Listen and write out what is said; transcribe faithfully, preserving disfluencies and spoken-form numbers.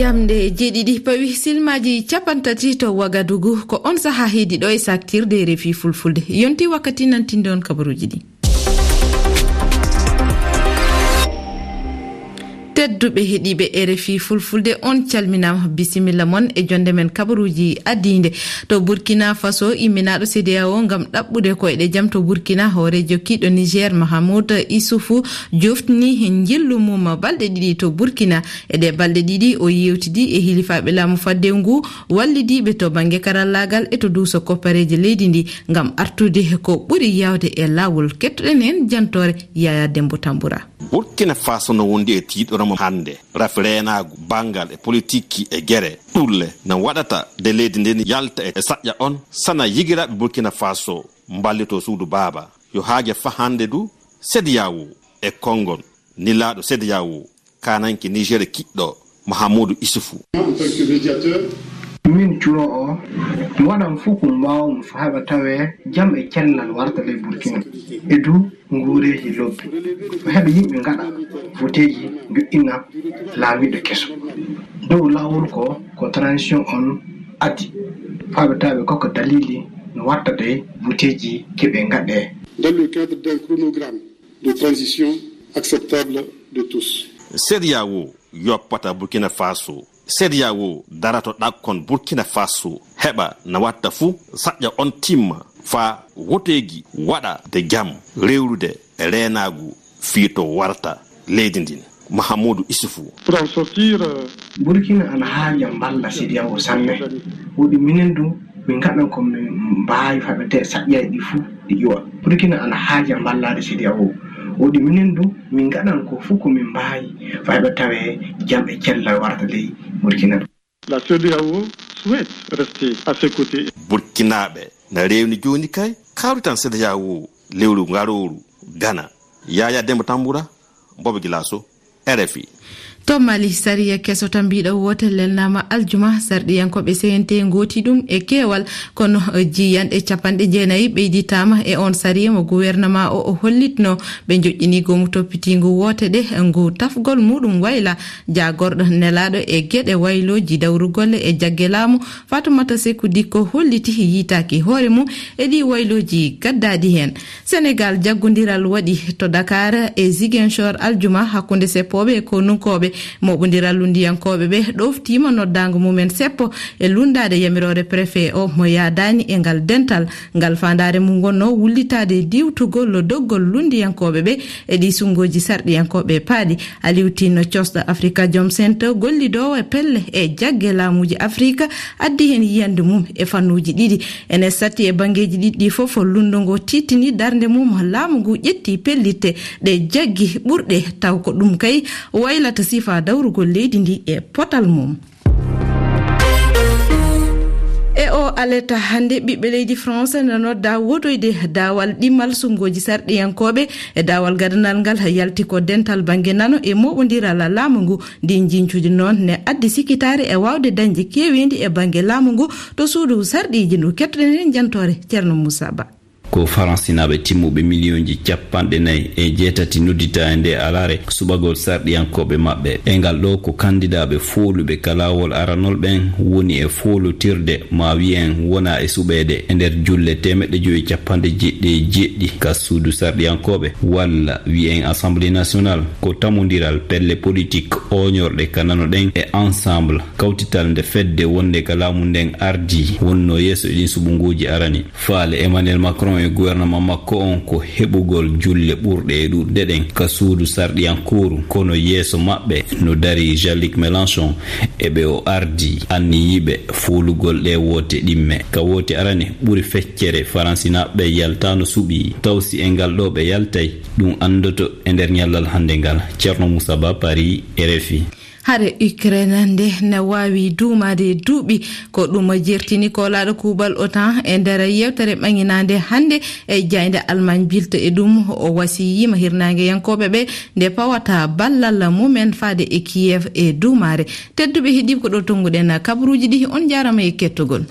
Jamɗe jeeɗiɗi pawi silmaaji cappanɗe tati to Wagadugu, ko on sahaa heedi ɗo e saaktirde R F I Fulfulde. Yonti wakkati nantinde on kabaruuji ɗi. Tedduɓe heɗiiɓe R F I Fulfulde, on calminaama, bisimilla mon e jonde men kabaruuji addiinde. To Burkina Faso, imminaaɗo C D A O ngam ɗaɓɓude koyɗe jam to Burkina, hooreejo kiiɗo Niger, Mahamoud Issoufou, joftini njillu mum balɗe ɗiɗi to Burkina. E ɗee balɗe ɗiɗi, o yeewtidi e hilifaaɓe laamu fadde ngu, wallidiiɓe to bannge karallaagal e to duuso koppareeje leydi ndi, ngam artude ko ɓuri yaawde e laawol. Kettoɗen heen jantoore Yaya Dembo Tambura. Burkina Faso no wondi e tiiɗoram hannde. Rafi reenaagu, banngal e politikki e gere ɗulle no waɗata de leydi ndin yalta e saƴƴa on, sana yigiraaɓe Burkina Faso mballitoo suudu baaba. Yo haaje fa hannde du, C D A O e konngol nilaaɗo C D A O, kananke Niger kiɗɗo Mahamudu Isufu. En tant que médiateur, min cuɗo o, mi waɗan fof ko mbaawmi faa heɓa tawee jam e cellal warta ley Burkina. E du nguureeji lobbi. Ko heɓa yimɓe ngaɗa voteeji, njoɗɗina laamiiɗo keso. Dow laawol ko, ko transition on addi. Faa ɓe tawa ɓe kokka dalili no watta de voteeji keɓe ngaɗe. Dans le cadre d'un chronogramme de transition acceptable de tous. C D A O yoppata Burkina Faso. C D A O darato ɗakkon Burkina Faso, heɓa na watta fuu saƴƴa on timma, faa woteeji waɗa de jam, rewrude e reenaagu fii to warta leydi ndin. Mahamudu Isufu. Pour en sortir, euh, Burkina ana haaja mballa C D A O sanne. Woɗi minen du, min ngaɗan ko min mbaawi faa ɓe te saƴƴaji ɗi fuu ɗi ƴuwa. Burkina ana haaja mballaade C D A O. Woɗi minen du, min ngaɗan ko fuu ko min mbaawi faa ɓe tawee jam e cellal warta ley Burkina. La C D A O souhaite rester à ses côtés. Burkinaaɓe na rewni jooni kay kawrital C D A O lewru ngarooru Gana. Yaya Demba Tambura, Bobo Gilaso, R F I. To Mali, sariya keso tambiiɗo woote lelnaama aljuma, sarɗiyankooɓe C N T ngooti ɗum e keewal, kono jiyanɗe capanɗe jeenayi ɓeyditaama e on sariya mo guwernamaa o, o hollitno. Ɓe njoƴƴini goomu toppitiingu woote ɗe, ngu tafgol muɗum wayla jaagorɗo nelaaɗo e geɗe waylooji dawrugol e jagge laamu, Fatoumata Sekou Dicko holliti yitaaki hoore mum e ɗi waylooji gaddaaɗi heen. Senegal, jaggondiral waɗi to Dakar e Ziguinchor aljuma hakkunde seppooɓe e konunkooɓe. Mooɓondiral lunndiyankooɓe ɓe ɗoftiima noddaango mumen seppo e lunndaade yamiroore préfet o mo yaadaani e ngal dental. Ngal faandaare mum wonno wullitaade diwtugol doggol lunndiyankooɓe ɓe e ɗi sunngooji sarɗiyankooɓe paaɗi. Aliou Tine, cosɗo Afrikajom Center, gollidoowo e pelle e jagge laamuuji Afrika, addi heen yiyannde mum e fannuuji ɗiɗi. Ene satti e banngeeji ɗiɗi ɗi fof, lunndu ngu tiiɗtini darnde mum, laamu ngu ƴetti pellitte ɗe jaggi ɓurɗe, taw ko ɗum kay waylata sifa dawrugol leydi ndi e potal mum. E o aleta hannde, ɓiɓɓe leydi France no nodda wotoyde daawal ɗimmal sunngooji sarɗiyankooɓe e daawal gadanal ngal yalti ko dental bannge nano e mooɓondiral laamu ngu. Ndi njiiñcuuji noon ne addi sikitaare e waawde dañde keeweendi e bannge laamu ngu to suudu sarɗiiji ndu. Kettoɗen heen jantoore Ceerno Moussa Ba. Ko Faransinaaɓe timmuɓe miliyonji capanɗe nayi e jeetati nodditaa e nde alaare suɓagol sarɗiyankooɓe maɓɓe. E ngal ɗo ko kandidaaɓe fooluɓe ka laawol aranol ɓen woni e foolutirde, ma wi'en wona e suɓeede e nder julle teemeɗɗe jowi capanɗe jeeɗiɗi e jeeɗiɗi ka suudu sarɗiyankooɓe, walla wi'en Assemblée nationale. Ko tamondiral pelle politik ooñorɗe ka nano ɗen e Ensemble, kawtital nde fedde wonde ka laamu nden ardii, wonno yeeso e ɗin suɓunguuji arani. Faale Emmanuel Macron e gouvernement makko on ko heɓugol julle ɓurɗe e ɗuɗɗe ɗen ka suudu sarɗiyankooru, kono yeeso maɓɓe no darii Jean-Luc Mélenchon e ɓe o ardii, anniyiiɓe foolugol ɗee woote ɗimme. Ka woote arane ɓuri feccere, Faransinaaɓe yaltaano suɓii, taw si e ngal ɗoo ɓe yaltay, ɗum anndoto e nder ñallal hannde ngal. Ceerno Moussa Ba, Paris, R F I. Hare Ukraine nde ne waawi duumaade duuɓi. Ko ɗum jertini koolaaɗo kuuɓal OTAN e nder yewtere ɓaŋinaande hannde e jaaynde Allemagne Bild. E ɗum, o wasiyiima hirnaangeyankooɓe ɓe nde pawata ballal mumen faade e Kiev e duumaare. Tedduɓe heɗiiɓe, ko ɗo tonnguɗen kabaruuji ɗi. On njaaraama e kettogol.